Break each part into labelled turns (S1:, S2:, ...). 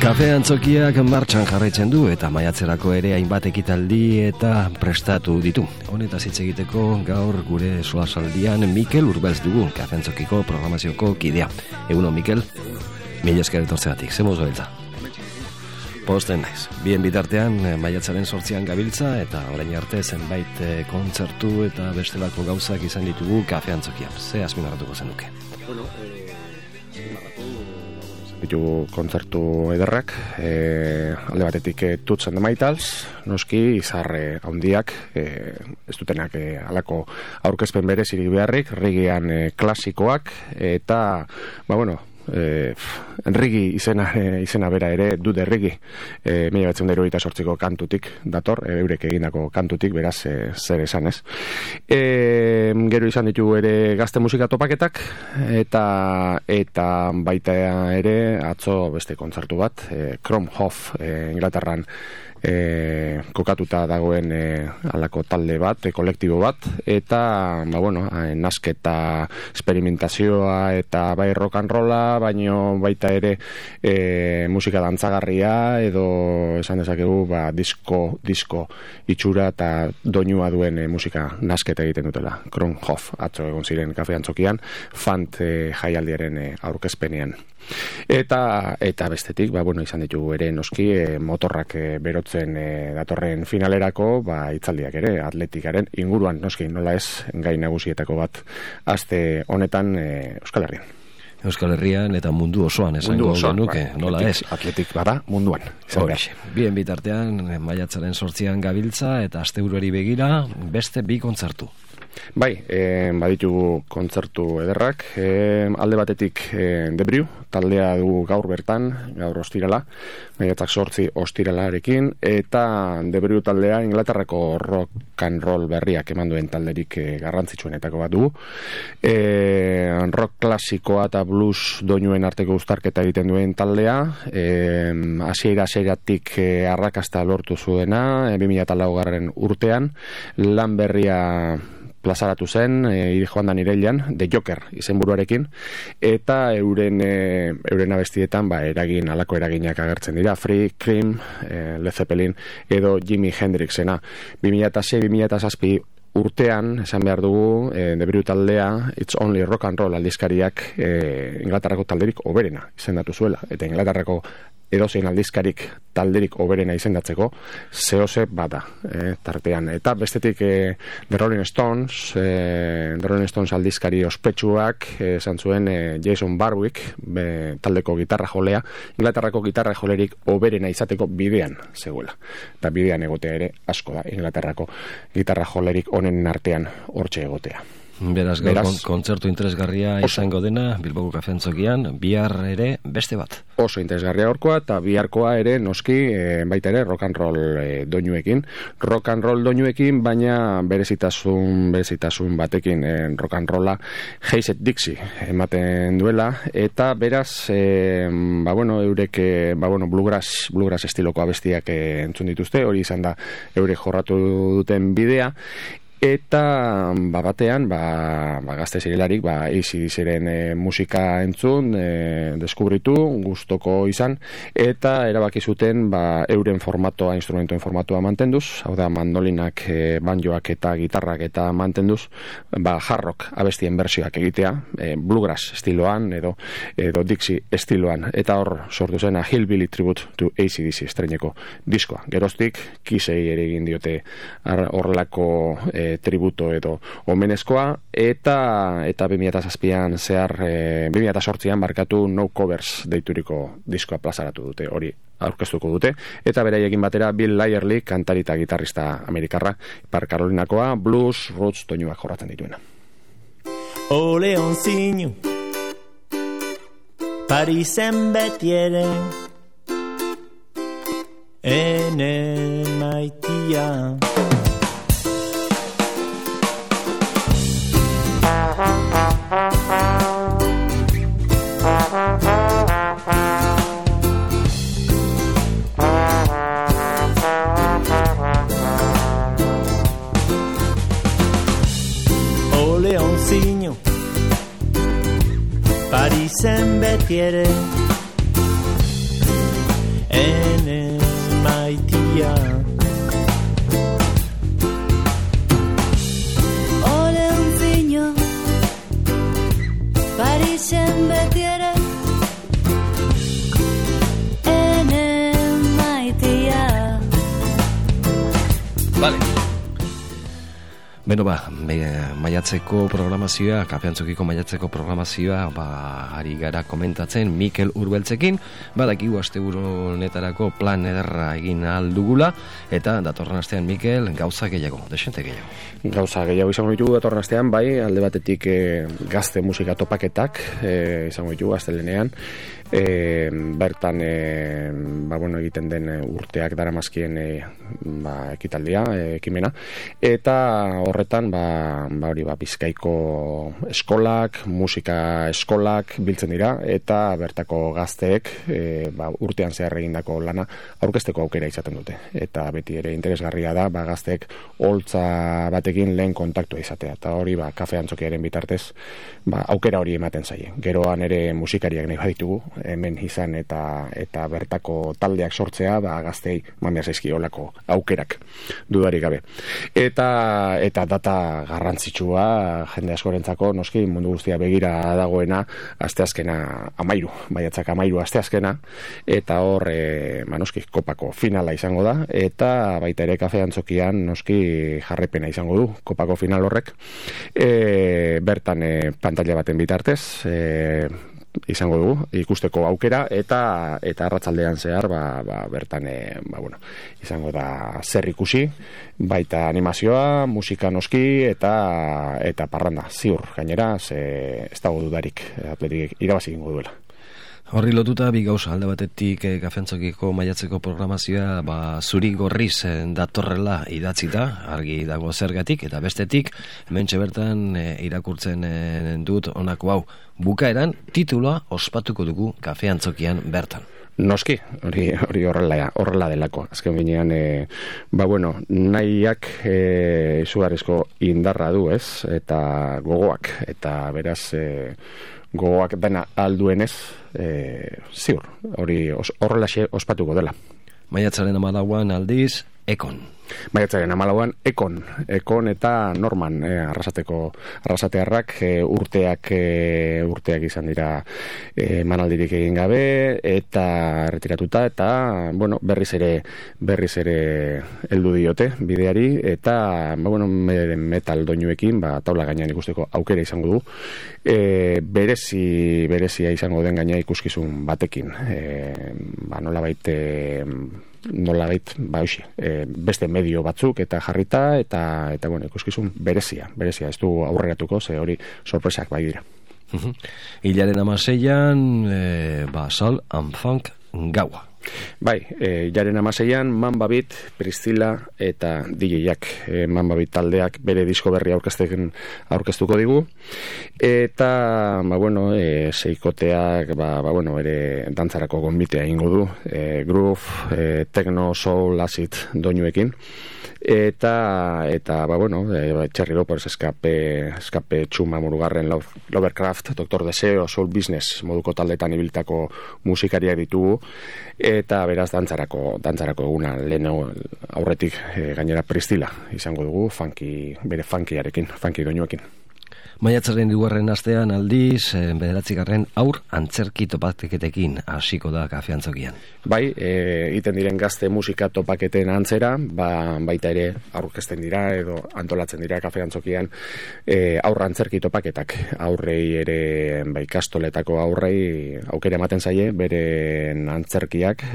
S1: Kafe Antzokiak martxan jarraitzen du eta maiatzerako ere hainbat ekitaldi eta prestatu ditu. Honetaz hitz egiteko gaur gure solasaldian Mikel Urbelz dugu, Kafe Antzokiko programazioko kidea. Egunon, Mikel? Mila esker etortzegatik, zemuz beltza. Posten naiz. Bien bitartean maiatzaren 8an gabiltza eta orain arte zenbait kontzertu eta bestelako gauzak izan ditugu Kafe Antzokian. Ze azpimarratuko zenuke?
S2: Bueno, ditugu kontzertu ederrak, alde batetik Toots and the Maytals, noski izarre handiak, ez dutenak alako aurkezpen berezirik beharrik, reggaean klasikoak, eta, Enrigi izena bera ere du de Rigi 1978ko kantutik dator, eurek egindako kantutik, beraz zer esan ez. Gero izan ditugu ere gazte musika topaketak eta baita ere atzo beste kontzertu bat, Kromhof Inglaterran kokatuta dagoen alako talde bat, kolektibo bat, eta nasketa esperimentazioa eta bai rock and rolla, baino baita ere musika dantzagarria edo esan dezakegu disko itxura eta doinua duen musika nasketa egiten dutela. Kronhof atzo egon ziren Kafe Antzokian, Fant jaialdiaren aurkezpenean. Eta bestetik, izan ditugu ere noski motorrak berotzen datorren finalerako, hitzaldiak ere atletikaren inguruan, noski nola ez gai nagusietako bat aste honetan Euskal Herrian.
S1: Euskal Herrian eta mundu osoan esango genuke, nola ez?
S2: Atletik bada munduan.
S1: Bien bitartean maiatzaren 8an gabiltza eta asteburuari begira beste 2 kontzertu.
S2: Bai, baditugu kontzertu ederrak, alde batetik Debriu, taldea dugu gaur bertan, gaur ostirala, maiatzak 8 ostiralarekin, eta Debriu taldea Inglaterrako rock and roll berriak eman duen talderik garrantzitsuenetako bat dugu. Rock klasikoa eta blues doinuen arteko uztarketa egiten duen taldea, hasieratik arrakasta lortu zuena, 2004 urtean, lan berria plazaratu zen, joan da irailean, The Joker izenburuarekin, eta euren abestietan alako eraginak agertzen dira, Free, Cream, Led Zeppelin edo Jimi Hendrixena. 2006-2007 urtean, esan behar dugu, Debriu taldea, It's Only Rock and Roll aldizkariak Inglaterrako talderik oberena izendatu zuela, eta Inglaterrako edozein aldizkarik talderik oberena izendatzeko zehose bada tartean. Eta bestetik The Rolling Stones aldizkari ospetsuak esan zuen Jason Barwick taldeko gitarra jolea Inglaterrako gitarra jolerik oberena izateko bidean zegoela. Eta bidean egotea ere asko da Inglaterrako gitarra jolerik onenen artean hortxe egotea.
S1: Beraz, kontzertu interesgarria izango dena Bilboko Kafe Antzokian, bihar ere beste bat.
S2: Oso interesgarria horkoa eta biharkoa ere noski baita ere rock and roll doinuekin. Rock and roll doinuekin, baina berezitasun batekin rock and rolla Hazed Dixie ematen duela, eta beraz eurek bluegrass estiloko abestiak entzun dituzte, hori izan da eurek jorratu duten bidea. Eta batean gazte zirelarik AC/DCren musika entzun, deskubritu, gustoko izan, eta erabaki zuten euren formatoa, instrumentuen formatoa mantenduz, hau da mandolinak, banjoak eta gitarrak eta mantenduz, hard rock abestien bersioak egitea, bluegrass estiloan edo Dixie estiloan, eta hor sortu zen a Hillbilly Tribute to AC/DC estreineko diskoa. Geroztik, Kissei ere egin diote horrelako tributo edo omenezkoa, eta 2007an zehar 2008an barkatu No Covers deituriko diskoa plazaratu dute, hori aurkeztuko dute, eta beraiekin batera Bill Lyerly, kantari eta gitarrista amerikarra, Ipar Karolinakoa, blues, roots doinuak jorratzen dituena.
S3: O leoncino, Parisen beti ere, ene maitia. O leoncino, Parisen beti ere,
S1: Vale. Beno maiatzeko programazioa, Kafeantzokiko maiatzeko programazioa, ari gara komentatzen Mikel Urbeltzekin, badakigu asteburu honetarako plan ederra egin aldugula, eta datorren astean Mikel gauza gehiago, desente gehiago.
S2: Gauza gehiago izango ditugu datorren astean, bai, alde batetik gazte musika topaketak izango ditugu astelenean, bertan egiten den urteak daramazkien ekitaldia, ekimena, eta horretan Bizkaiko eskolak, musika eskolak biltzen dira, eta bertako gazteek urtean zehar egindako lana aurkezteko aukera izaten dute, eta beti ere interesgarria da gazteek holtza batekin lehen kontaktua izatea, eta hori Kafeantzokiaren bitartez aukera hori ematen zaie. Geroan ere musikariak nahi baditugu hemen izan eta bertako taldeak sortzea gaztei mamia zaizkiolako aukerak dudarik gabe. Eta data garrantzitsua jende askorentzako, noski mundu guztia begira dagoena asteazkena 13, maiatzak 13 asteazkena, eta hor noski kopako finala izango da, eta baita ere Kafeantzokian noski jarraipena izango du kopako final horrek, bertan pantalla baten bitartez izango dugu ikusteko aukera, eta arratsaldean zehar bertan izango da zer ikusi, baita animazioa, musika noski, eta parranda ziur gainera, ez dago dudarik Atletik irabazi egingo duela.
S1: Horri lotuta bi gauza, alde batetik Kafeantzokiko maiatzeko programazioa zuri gorriz datorrela idatzita, argi dago zergatik, eta bestetik hementxe bertan irakurtzen dut honako hau, bukaeran tituloa ospatuko dugu Kafeantzokian bertan.
S2: Noski, hori horrela delako. Azken binean, nahiak izugarrizko indarra du, ez? Eta gogoak, eta beraz gogoak dena alduenez, ziur, hori horrelaxe ospatuko dela.
S1: Maiatzaren 14 aldiz, Ekon.
S2: Maiatzaren 14 Ekon eta Norman arrasatearrak urteak izan dira manaldirik egin gabe eta retiratuta, eta berriz ere heldu diote bideari, eta metal doinuekin taula gainean ikusteko aukera izango du, berezia izango den gaina ikuskizun batekin, nolabait beste medio batzuk eta jarrita, eta ikuskizun berezia ez du aurreratuko, ze hori sorpresak bai dira.
S1: Hilaren 16an Soul and Funk gaua.
S2: Bai, jaren 16an Mamba Beat, Priscilla eta DJ-ak, Mamba Beat taldeak bere disko berri aurkeztuko digu, eta seikoteak ere dantzarako gonbitea egingo du, groove, techno, soul, acid doinuekin, eta Cherry Lopers, Escape, Txuma, Murugarren, Lovercraft, Dr. Deseo, Soul Business moduko taldetan ibiltako musikariak ditugu, eta beraz dantzarako eguna leheno aurretik gainera Priscilla izango dugu, bere funky doinuekin.
S1: Maiatzaren 2. astean aldiz, 9. aur antzerki topaketekin hasiko da Kafeantzokian.
S2: Bai, egiten diren gazte musika topaketen antzera, baita ere aurkezten dira edo antolatzen dira Kafeantzokian aurra antzerki topaketak. Aurrei ere ikastoletako aurrei aukera ematen zaie beren antzerkiak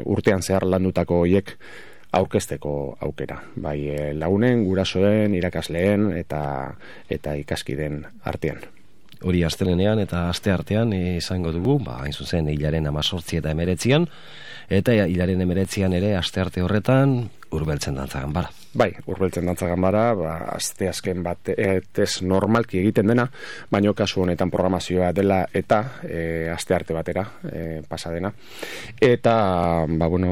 S2: urtean zehar landutako hoiek aurkezteko aukera, bai lagunen, gurasoen, irakasleen eta ikaskiden artean.
S1: Hori astelenean eta aste artean izango dugu, hain zuzen hilaren 18 eta 19, eta hilaren 19 ere aste arte horretan Urbeltzen dantza ganbara.
S2: Bai, Urbeltzen dantza ganbara, aste azken bat ez normalki egiten dena, baino kasu honetan programazioa dela eta aste arte batera pasadena. Eta,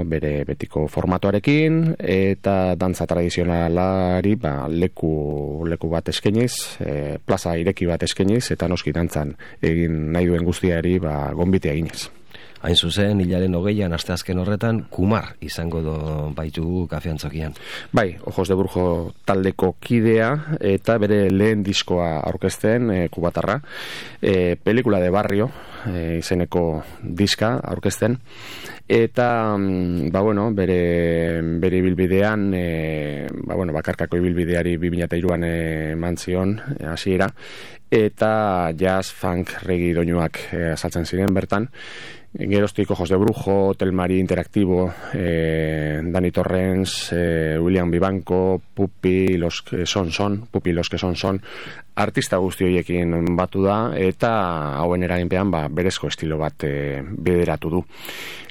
S2: bere betiko formatoarekin, eta dantza tradizionalari leku bat eskainiz, plaza ireki bat eskainiz, eta noski dantzan egin nahi duen guztiari gonbitea eginez.
S1: Hain zuzen, hilaren 20an asteazken horretan, Kumar izango baitugu kafeantzokian.
S2: Bai, Ojos de Brujo taldeko kidea eta bere lehen diskoa aurkezten, kubatarra, pelikula de barrio izeneko diska aurkezten, eta bere ibilbidean bakarkako ibilbideari 2003an eman zion hasiera, eta jazz, funk, reggae doinuak azaltzen ziren bertan. Geroztik Ojos de Brujo, Telmari Interactivo, Dani Torrens, William Vivanco, Pupi los que son, artista guzti horiekin batu da, eta hauen eraginpean berezko estilo bat bideratu du.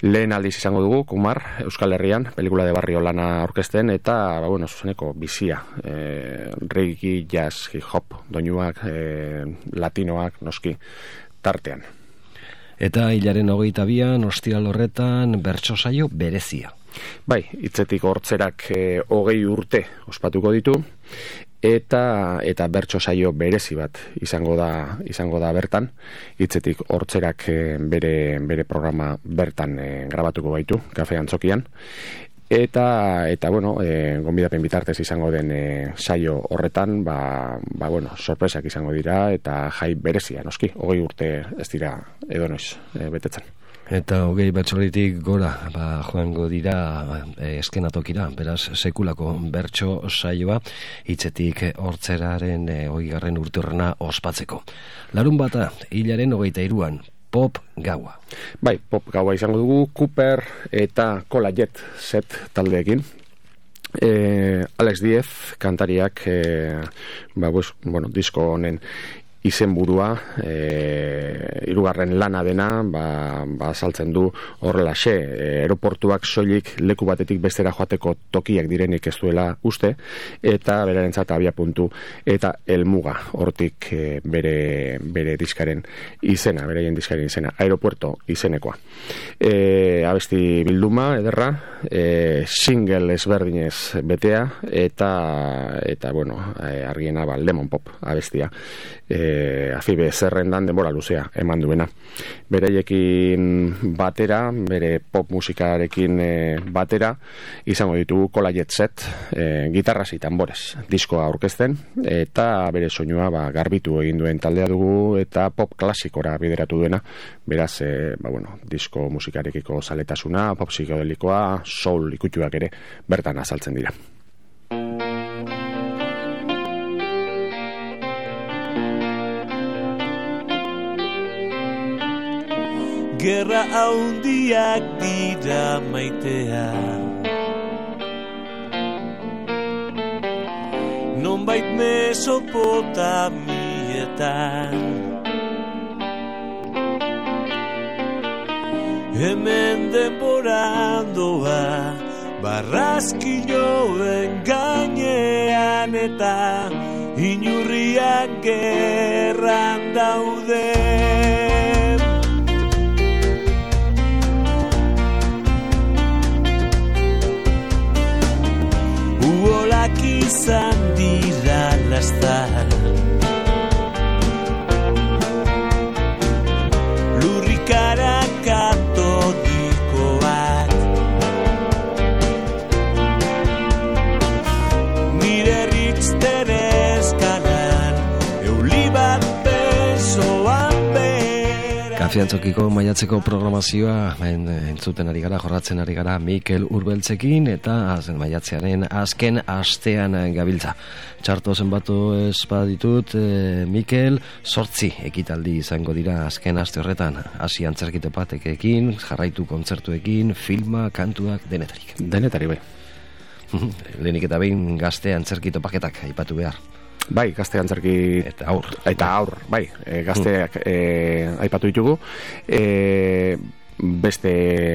S2: Lehen aldiz izango dugu, Kumar, Euskal Herrian, pelikula de barrio lana aurkezten, eta zuzeneko bizia, reggae, jazz, hip hop, doinuak, latinoak, noski, tartean.
S1: Eta hilaren 22an, ostiral horretan, bertso saio berezia.
S2: Bai, hitzetik hortzerak 20 urte ospatuko ditu, eta bertso saio berezi bat izango da bertan. Hitzetik hortzerak bere programa bertan grabatuko baitu, Kafe Antzokian. Eta gonbidapen bitartez izango den saio horretan, sorpresak izango dira, eta jai berezia, noski, 20 urte ez dira edonoiz betetzen.
S1: Eta 20 bertsolitik gora joango dira eskenatokira, beraz sekulako bertso saioa hitzetik hortzeraren 20. urteurrena ospatzeko. Larunbata, hilaren 23an, Pop gaua.
S2: Bai, pop gaua izango dugu, Cooper eta Cola Jet set taldeekin. Alex Diez kantariak disko honen izenburua, hirugarren lana dena, saltzen du horrelaxe, aeroportuak soilik leku batetik bestera joateko tokiak direnik ez duela uste, eta berarentzat abiapuntu eta helmuga hortik bere diskaren izena, beraien diskaren izena, aeropuerto izenekoa. Abesti bilduma ederra, single ezberdinez betea, eta argiena Lemon Pop abestia. Afibe zerrendan denbora luzea eman duena. Bereiekin batera, bere pop musikarekin batera, izango ditugu Cola Jet set, gitarras y tambores diskoa aurkezten, eta bere soinua garbitu egin duen taldea dugu, eta pop klasikora bideratu duena. Beraz, disko musikarekiko zaletasuna, pop psikodelikoa, soul ikutuak ere bertan azaltzen dira.
S3: Gerra haundiak dira maitea, nonbait Mesopotamietan, hemen denborandoa barrazkiloen gainean, eta inurriak gerran daude. Uolak izan dira lastar, lurrikara katolikoak, nire Richter eskalan euli bat besoan bera.
S1: Kafiantzokiko maiatzeko programazioa entzuten ari gara, jorratzen ari gara Mikel Urbeltzekin, eta maiatzearen azken astean gabiltza. Txarto zenbatu espaditut, Mikel, 8 ekitaldi izango dira azken aste horretan, hasi antzerkito patekekin, jarraitu kontzertuekin, filma, kantuak, denetarik.
S2: Denetari bai.
S1: Lehenik eta behin gazte antzerkito paketak aipatu behar.
S2: Bai, gazte antzerki eta aur, bai, gazteak aipatu ditugu. Beste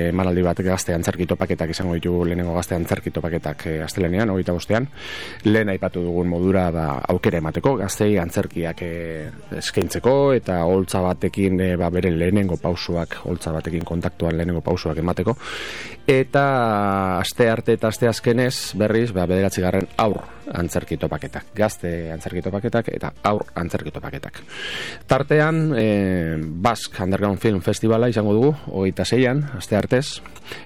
S2: emanaldi bat gazte antzerki topaketak izango ditugu, lehenengo gazte antzerki topaketak astelehenean, 25ean. Lehen aipatu dugun modura aukera emateko, gaztei antzerkiak eskaintzeko, eta holtza batekin bere lehenengo pausuak, holtza batekin kontaktuan lehenengo pausuak emateko. Eta aste arte eta aste azkenez berriz, 9. aur antzerki topaketak, gazte antzerki topaketak eta aur antzerki topaketak. Tartean, Basque Underground Film Festivala izango dugu, 26an, asteartez,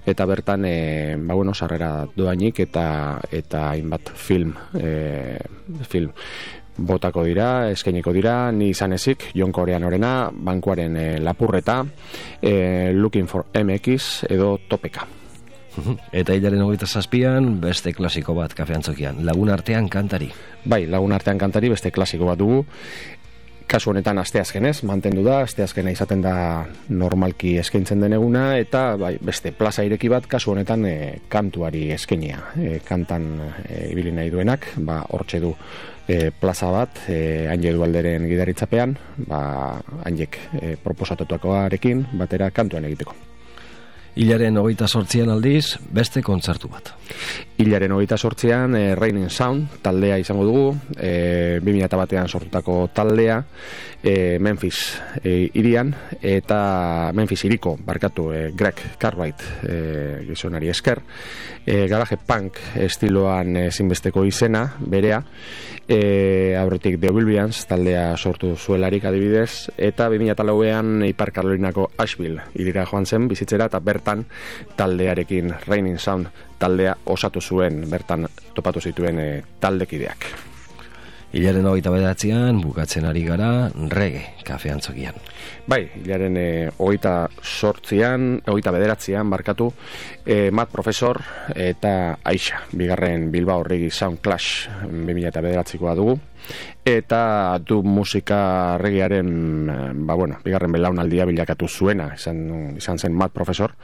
S2: eta bertan, sarrera doainik eta hainbat film botako dira, eskainiko dira, ni izan ezik, Jon Koreanorena, Bankuaren lapurreta, Looking for MX edo Topeka.
S1: Eta hilaren 27an beste klasiko bat kafeantzokian, Lagun Artean Kantari.
S2: Bai, Lagun Artean Kantari beste klasiko bat dugu. Kasu honetan asteazkenez mantendu da, asteazkena izaten da normalki eskaintzen den eguna, eta beste plaza ireki bat kasu honetan kantuari eskainia. Kantan ibili nahi duenak, hortxe du plaza bat, Anje Dualderen gidaritzapean, Anjek proposatutakoarekin batera kantuan egiteko.
S1: Hilaren 28an aldiz, beste kontzertu bat.
S2: Hilaren 28an Raining Sound taldea izango dugu, 2001an sortutako taldea, Memphis irian, eta Memphis iriko, Greg Cartwright gizonari esker, garage punk estiloan ezinbesteko izena, berea, aurretik The Williams taldea sortu zuelarik adibidez, eta 2004an Ipar Karolinako Asheville irira joan zen bizitzera, eta bertan taldearekin Raining Sound taldea osatu zuen, bertan topatu zituen taldekideak.
S1: Hilaren 29an bukatzen ari gara reggae kafeantzokian.
S2: Bai, hilaren 29an barkatu, Matt Professor eta Aisha, bigarren Bilbao Reggae Sound Clash 2009koa dugu. Eta du musika reggaearen bigarren belaunaldia bilakatu zuena, izan zen Matt Professor,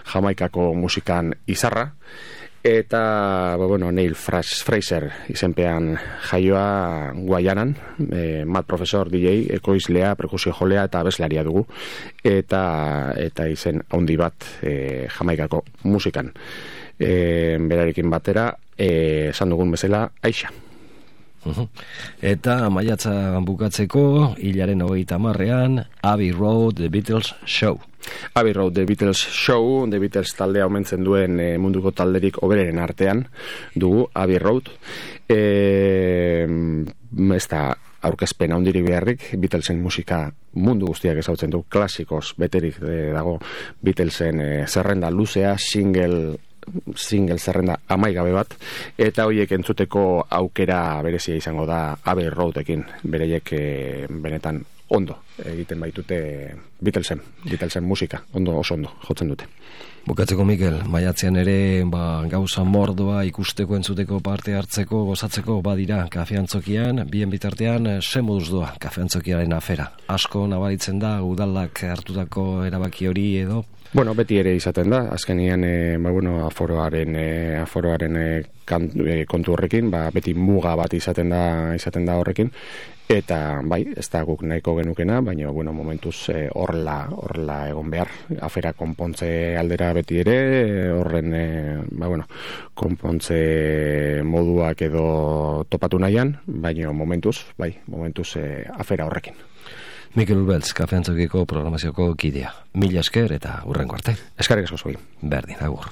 S2: Jamaikako musikan izarra, eta Neil Fraser izenpean jaioa Guayanan, Matt Professor DJ, ekoizlea, perkusio jolea eta abeslaria dugu, eta izen handi bat Jamaikako musikan. Berarekin batera, esan dugun bezala, Aisha.
S1: Eta maiatza bukatzeko, hilaren 30an, Abbey Road The Beatles Show.
S2: Abbey Road The Beatles Show, The Beatles taldea omentzen duen munduko talderik hoberenen artean dugu, Abbey Road. Ez da aurkezpen handirik beharrik, Beatlesen musika mundu guztiak ezautzen du, klasikoz beterik dago Beatlesen zerrenda luzea, single zerrenda amaigabe bat, eta horiek entzuteko aukera berezia izango da Abbey Roadekin, bereiek benetan ondo egiten baitute Beatlesen musika, oso ondo jotzen dute.
S1: Bukatzeko, Mikel, maiatzean ere gauza mordoa ikusteko, entzuteko, parte hartzeko, gozatzeko badira kafeantzokian, bien bitartean ze moduz doa kafeantzokiaren afera. Asko nabaritzen da udalak hartutako erabaki hori edo?
S2: Beti ere izaten da, azkenian aforoaren kontu horrekin, beti muga bat izaten da horrekin, eta ez da guk nahiko genukena, baina momentuz horrela egon behar, afera konpontze aldera beti ere, horren konpontze moduak edo topatu nahian, baina momentuz afera horrekin.
S1: Mikel Urbeltz, kafeantzokiko programazioko kidea. Mila esker eta hurrengo arte.
S2: Eskerrik asko zui.
S1: Berdin, agur.